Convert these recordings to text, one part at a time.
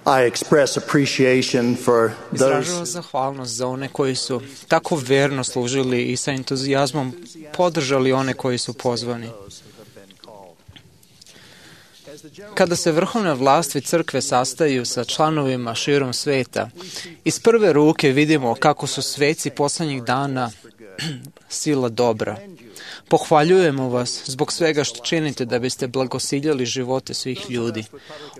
I express appreciation for those. Izražavam zahvalnost za one koji su tako verno služili i sa entuzijazmom podržali one koji su pozvani. Kada se vrhovne vlasti crkve sastaju sa članovima širom sveta, iz prve ruke vidimo kako su sveci poslednjih dana sila dobra. Pohvaljujemo vas zbog svega što činite da biste blagosiljali živote svih ljudi.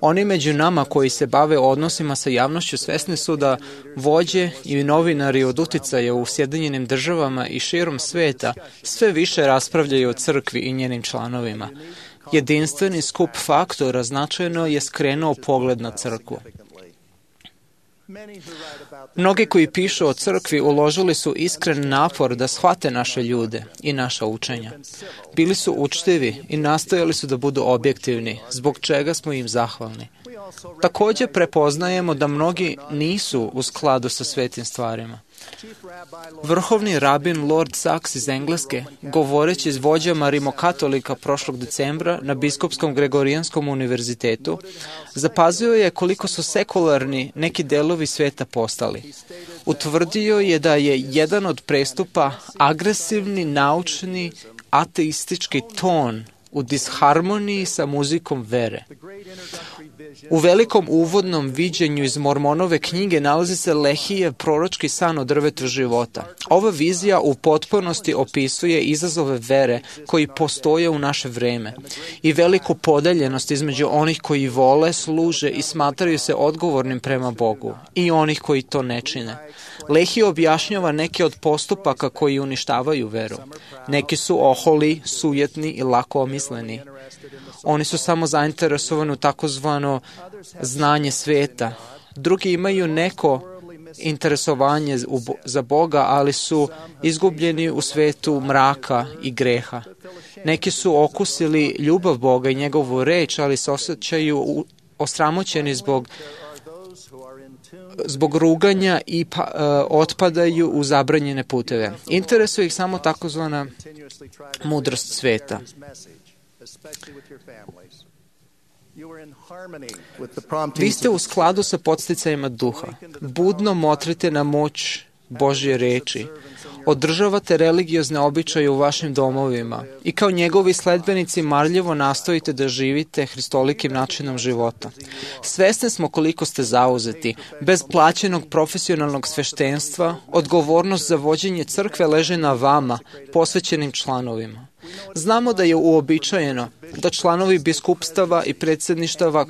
Oni među nama koji se bave odnosima sa javnošću svesni su da vođe i novinari od uticaja u Sjedinjenim državama i širom sveta sve više raspravljaju o crkvi i njenim članovima. Jedinstveni skup faktora značajno je skrenuo pogled na crkvu. Mnogi koji pišu o crkvi uložili su iskren napor da shvate naše ljude i naša učenja. Bili su učtivi i nastojali su da budu objektivni, zbog čega smo im zahvalni. Također prepoznajemo da mnogi nisu u skladu sa svetim stvarima. Vrhovni rabin Lord Sachs iz Engleske, govoreći s vođama rimokatolika prošlog decembra na Biskupskom Gregorijanskom univerzitetu, zapazio je koliko su sekularni neki delovi sveta postali. Utvrdio je da je jedan od prestupa agresivni, naučni, ateistički ton u disharmoniji sa muzikom vere. U velikom uvodnom viđenju iz Mormonove knjige nalazi se Lehijev proročki san o drvetu života. Ova vizija u potpunosti opisuje izazove vere koji postoje u naše vreme i veliku podeljenost između onih koji vole, služe i smatraju se odgovornim prema Bogu i onih koji to ne čine. Lehi objašnjava neke od postupaka koji uništavaju veru. Neki su oholi, sujetni i lako omisleni. Oni su samo zainteresovani u takozvano znanje sveta. Drugi imaju neko interesovanje za Boga, ali su izgubljeni u svetu mraka i greha. Neki su okusili ljubav Boga i njegovu reč, ali se osjećaju osramoćeni zbog ruganja i otpadaju u zabranjene puteve. Interesuje ih samo takozvana mudrost sveta. Vi ste u skladu sa podsticajima duha. Budno motrite na moć Božje reči. Održavate religiozne običaje u vašim domovima i kao njegovi sledbenici marljivo nastojite da živite hristolikim načinom života. Svesni smo koliko ste zauzeti. Bez plaćenog profesionalnog sveštenstva, odgovornost za vođenje crkve leži na vama, posvećenim članovima. Znamo da je uobičajeno da članovi biskupstava i predsjedništava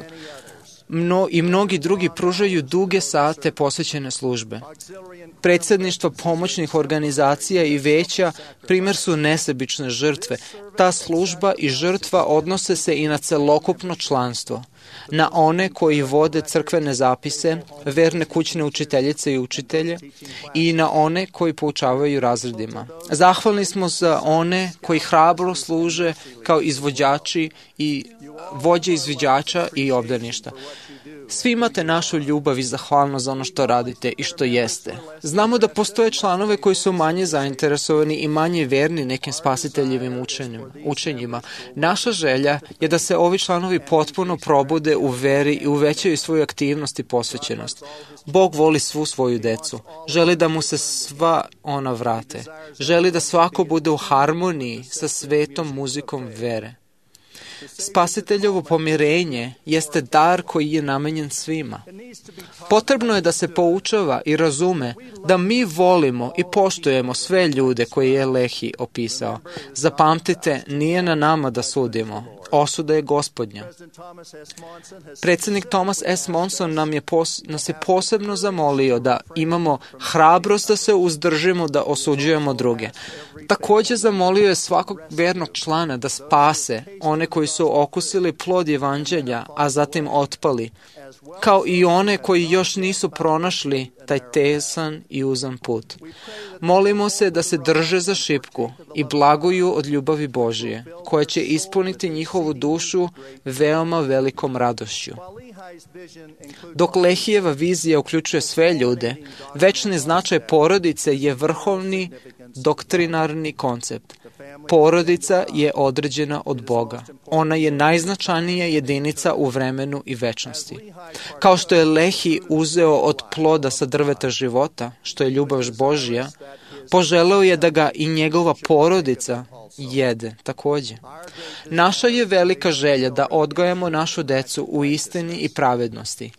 i mnogi drugi pružaju duge sate posvećene službe. Predsjedništva pomoćnih organizacija i veća primjer su nesebične žrtve. Ta služba i žrtva odnose se i na celokupno članstvo, na one koji vode crkvene zapise, verne kućne učiteljice i učitelje i na one koji poučavaju razredima. Zahvalni smo za one koji hrabro služe kao izvođači i vođe izviđača i obdaništa. Svi imate našu ljubav i zahvalnost za ono što radite i što jeste. Znamo da postoje članove koji su manje zainteresovani i manje verni nekim spasiteljevim učenjima. Naša želja je da se ovi članovi potpuno probude u veri i uvećaju svoju aktivnost i posvećenost. Bog voli svu svoju decu. Želi da mu se sva ona vrate. Želi da svako bude u harmoniji sa svetom muzikom vere. Spasiteljovo pomirenje jeste dar koji je namenjen svima. Potrebno je da se poučava i razume da mi volimo i poštujemo sve ljude koje je Lehi opisao. Zapamtite, nije na nama da sudimo. Osuda je Gospodnja. Predsjednik Thomas S. Monson nas je posebno zamolio da imamo hrabrost da se uzdržimo da osuđujemo druge. Također zamolio je svakog vernog člana da spase one koji su okusili plod evanđelja, a zatim otpali, kao i one koji još nisu pronašli taj tesan i uzan put. Molimo se da se drže za šipku i blaguju od ljubavi Božije, koja će ispuniti njihovu dušu veoma velikom radošću. Dok Lehijeva vizija uključuje sve ljude, večni značaj porodice je vrhovni doktrinarni koncept. Porodica je određena od Boga. Ona je najznačajnija jedinica u vremenu i večnosti. Kao što je Lehi uzeo od ploda sa drveta života, što je ljubav Božja, poželeo je da ga i njegova porodica jede takođe. Naša je velika želja da odgajamo našu decu u istini i pravednosti.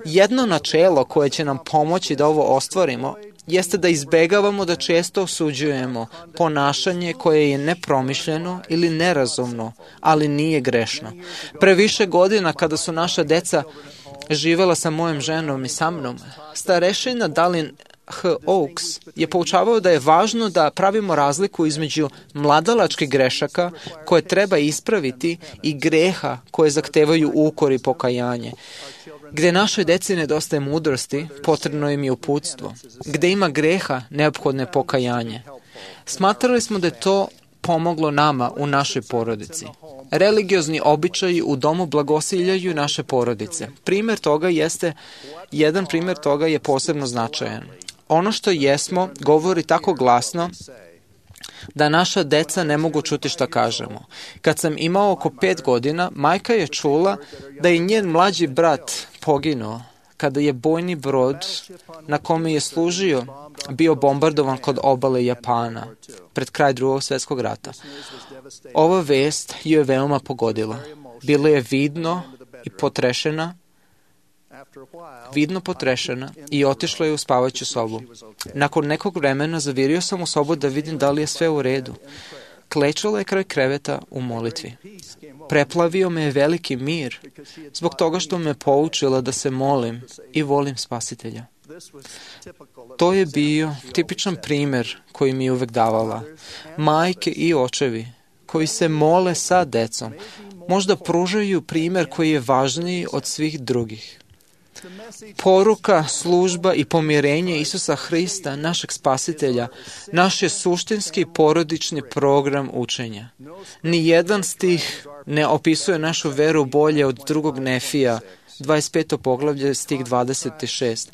Jedno načelo koje će nam pomoći da ovo ostvarimo jeste da izbegavamo da često osuđujemo ponašanje koje je nepromišljeno ili nerazumno, ali nije grešno. Pre više godina kada su naša deca živela sa mojom ženom i sa mnom, starešina Dalin H. Oaks je poučavao da je važno da pravimo razliku između mladalačkih grešaka koje treba ispraviti i greha koje zahtevaju ukor i pokajanje. Gde našoj deci nedostaje mudrosti, potrebno im je uputstvo. Gde ima greha, neophodno je pokajanje. Smatrali smo da je to pomoglo nama u našoj porodici. Religiozni običaji u domu blagosiljaju naše porodice. Jedan primer toga je posebno značajan. Ono što jesmo govori tako glasno da naša deca ne mogu čuti šta kažemo. Kad sam imao oko 5 godina, majka je čula da je njen mlađi brat poginuo kada je bojni brod na kome je služio bio bombardovan kod obale Japana pred kraj Drugog svjetskog rata. Ova vest ju je veoma pogodila. Bila je vidno potrešena i otišla je u spavaću sobu. Nakon nekog vremena zavirio sam u sobu da vidim da li je sve u redu. Klečala je kraj kreveta u molitvi. Preplavio me je veliki mir zbog toga što me poučila da se molim i volim Spasitelja. To je bio tipičan primer koji mi je uvek davala. Majke i očevi koji se mole sa decom možda pružaju primer koji je važniji od svih drugih. Poruka, služba i pomirenje Isusa Hrista, našeg Spasitelja, naš je suštinski porodični program učenja. Nijedan stih ne opisuje našu veru bolje od drugog Nefija, 25. poglavlje, stih 26.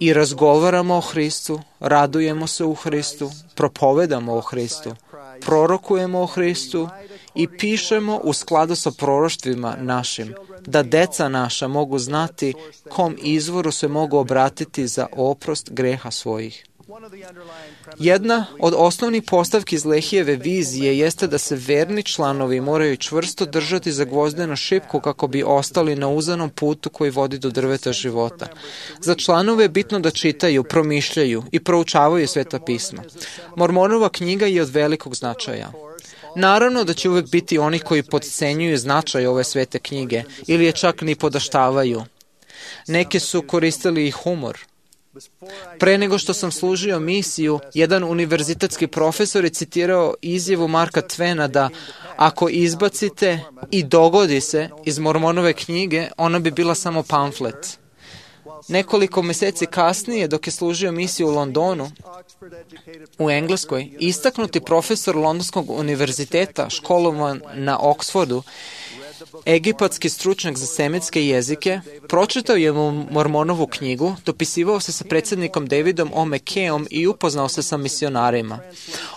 I razgovaramo o Hristu, radujemo se u Hristu, propovedamo o Hristu, prorokujemo o Hristu i pišemo u skladu sa proroštvima našim, da deca naša mogu znati kom izvoru se mogu obratiti za oprost greha svojih. Jedna od osnovnih postavki iz Lehijeve vizije jeste da se verni članovi moraju čvrsto držati za gvozdenu šipku kako bi ostali na uzanom putu koji vodi do drveta života. Za članove je bitno da čitaju, promišljaju i proučavaju Sveta pisma. Mormonova knjiga je od velikog značaja. Naravno da će uvek biti oni koji potcenjuju značaj ove svete knjige ili je čak ni podaštavaju. Neki su koristili i humor. Pre nego što sam služio misiju, jedan univerzitetski profesor je citirao izjavu Marka Twena da ako izbacite i dogodi se iz Mormonove knjige, ona bi bila samo pamflet. Nekoliko meseci kasnije, dok je služio misiju u Londonu, u Engleskoj, istaknuti profesor Londonskog univerziteta, školovan na Oksfordu, egipatski stručnjak za semitske jezike, pročitao je Mormonovu knjigu, dopisivao se sa predsjednikom Davidom O. McKayom i upoznao se sa misionarima.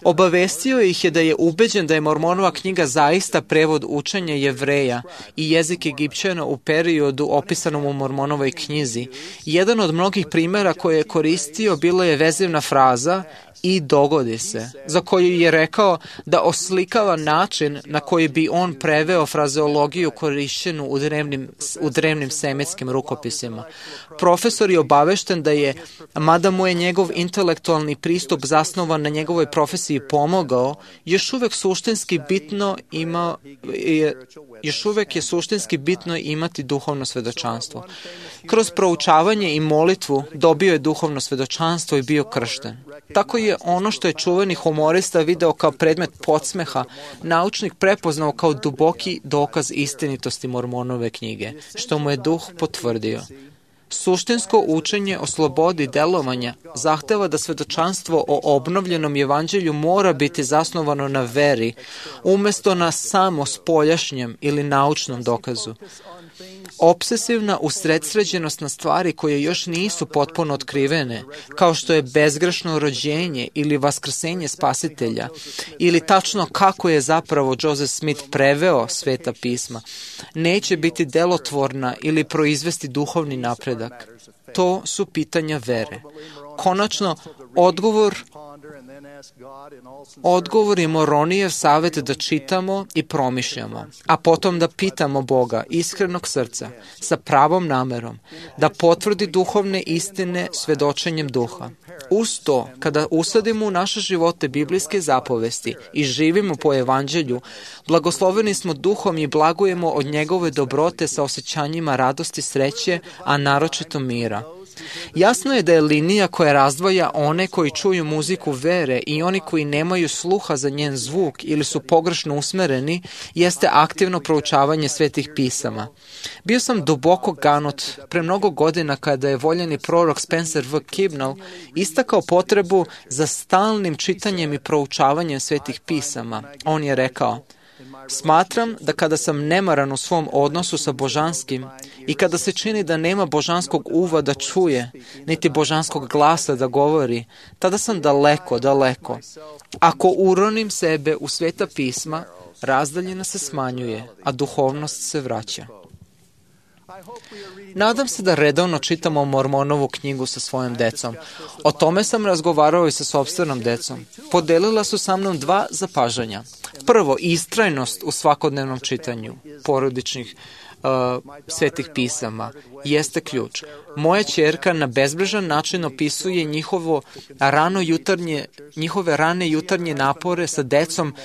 Obavestio ih je da je ubeđen da je Mormonova knjiga zaista prevod učenja Jevreja i jezik Egipćana u periodu opisanom u Mormonovoj knjizi. Jedan od mnogih primjera koje je koristio bila je vezivna fraza i dogodi se, za koju je rekao da oslikava način na koji bi on preveo frazeologiju korišćenu u drevnim semitskim rukopisima. Profesor je obavešten da je, mada mu je njegov intelektualni pristup zasnovan na njegovoj profesiji pomogao, još uvek je suštinski bitno imati duhovno svedočanstvo. Kroz proučavanje i molitvu dobio je duhovno svedočanstvo i bio kršten. Tako je ono što je čuveni humorista video kao predmet podsmeha, naučnik prepoznao kao duboki dokaz istinitosti Mormonove knjige, što mu je duh potvrdio. Suštinsko učenje o slobodi delovanja zahteva da svedočanstvo o obnovljenom evanđelju mora biti zasnovano na veri, umesto na samo spoljašnjem ili naučnom dokazu. Obsesivna usredsređenost na stvari koje još nisu potpuno otkrivene, kao što je bezgrešno rođenje ili vaskrsenje spasitelja, ili tačno kako je zapravo Joseph Smith preveo Sveta pisma, neće biti delotvorna ili proizvesti duhovni napredak. To su pitanja vere. Konačno, odgovor je Moronijev savjet da čitamo i promišljamo, a potom da pitamo Boga iskrenog srca, sa pravom namerom, da potvrdi duhovne istine svedočenjem duha. Uz to, kada usadimo u naše živote biblijske zapovesti i živimo po evanđelju, blagosloveni smo duhom i blagujemo od njegove dobrote sa osjećanjima radosti, sreće, a naročito mira. Jasno je da je linija koja razdvaja one koji čuju muziku vere i oni koji nemaju sluha za njen zvuk ili su pogrešno usmereni, jeste aktivno proučavanje svetih pisama. Bio sam duboko ganut pre mnogo godina kada je voljeni prorok Spencer V. Kimball istakao potrebu za stalnim čitanjem i proučavanjem svetih pisama. On je rekao: smatram da kada sam nemaran u svom odnosu sa božanskim i kada se čini da nema božanskog uva da čuje, niti božanskog glasa da govori, tada sam daleko, daleko. Ako uronim sebe u sveta pisma, razdaljina se smanjuje, a duhovnost se vraća. Nadam se da redovno čitamo Mormonovu knjigu sa svojom decom. O tome sam razgovarao i sa sopstvenom decom. Podelila su sa mnom 2 zapažanja. Prvo, istrajnost u svakodnevnom čitanju porodičnih svetih pisama jeste ključ. Moja ćerka na bezbrižan način opisuje njihove rane jutarnje napore sa decom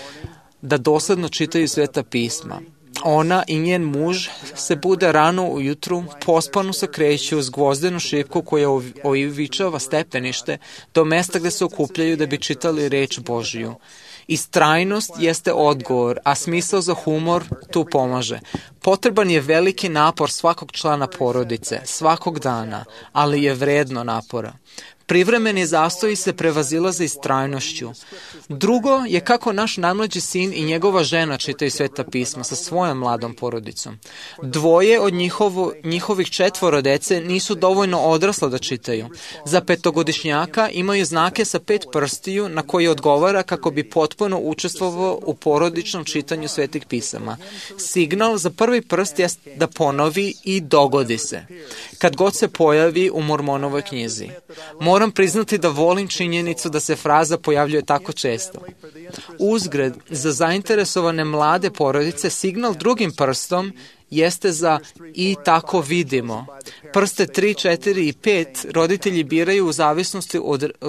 da dosledno čitaju sveta pisma. Ona i njen muž se bude rano ujutru, pospano se kreću uz gvozdenu šipku koja oivičava stepenište do mesta gde se okupljaju da bi čitali reč Božiju. Istrajnost jeste odgovor, a smisao za humor tu pomaže. Potreban je veliki napor svakog člana porodice, svakog dana, ali je vredno napora. Privremeni zastoji se prevazilaze istrajnošću. Drugo je kako naš najmlađi sin i njegova žena čitaju sveta pisma sa svojom mladom porodicom. 2 od njihovih 4 dece nisu dovoljno odrasla da čitaju. Za 5-godišnjaka imaju znake sa 5 prstiju na koji odgovara kako bi potpuno učestvovao u porodičnom čitanju svetih pisama. Signal za prvi prst je da ponovi i dogodi se. Kad god se pojavi u Mormonovoj knjizi. Moram priznati da volim činjenicu da se fraza pojavljuje tako često. Uzgred, za zainteresovane mlade porodice, signal drugim prstom jeste za i tako vidimo. Prste 3, 4 i 5 roditelji biraju u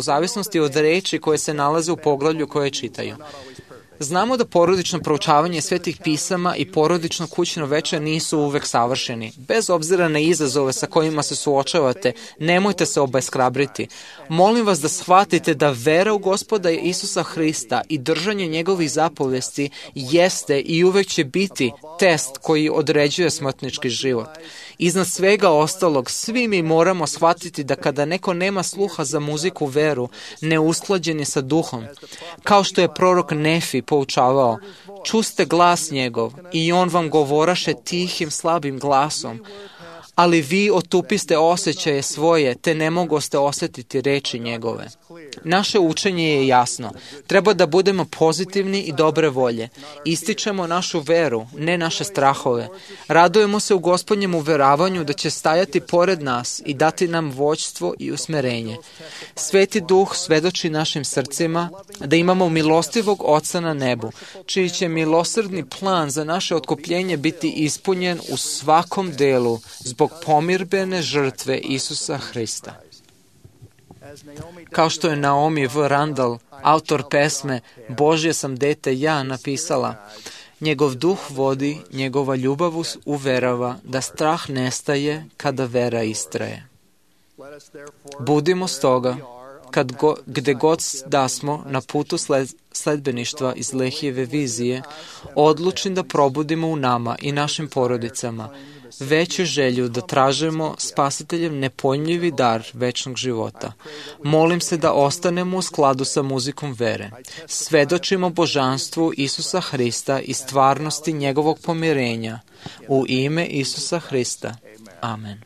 zavisnosti od reči koje se nalaze u poglavlju koje čitaju. Znamo da porodično proučavanje svetih pisama i porodično kućno veče nisu uvek savršeni. Bez obzira na izazove sa kojima se suočavate, nemojte se obeshrabriti. Molim vas da shvatite da vera u Gospoda Isusa Hrista i držanje njegovih zapovesti jeste i uvek će biti test koji određuje smrtnički život. Iznad svega ostalog, svi mi moramo shvatiti da kada neko nema sluha za muziku veru, neusklađen je sa duhom. Kao što je prorok Nefi poučavao, čuste glas njegov i on vam govoraše tihim, slabim glasom, ali vi otupiste osjećaje svoje, te ne mogoste osjetiti reči njegove. Naše učenje je jasno. Treba da budemo pozitivni i dobre volje. Ističemo našu veru, ne naše strahove. Radujemo se u Gospodnjem uveravanju da će stajati pored nas i dati nam vođstvo i usmerenje. Sveti Duh svedoči našim srcima da imamo milostivog Oca na nebu, čiji će milosrdni plan za naše otkupljenje biti ispunjen u svakom delu zbog pomirbene žrtve Isusa Hrista. Kao što je Naomi V. Randall, autor pesme Božje sam dete ja, napisala, njegov duh vodi, njegova ljubav uverava da strah nestaje kada vera istraje. Budimo stoga, gde god da smo na putu sledbeništva iz Lehijeve vizije, odlučni da probudimo u nama i našim porodicama veću želju da tražimo Spasiteljem nepojmljivi dar večnog života. Molim se da ostanemo u skladu sa muzikom vere. Svedočimo božanstvu Isusa Hrista i stvarnosti njegovog pomirenja. U ime Isusa Hrista. Amen.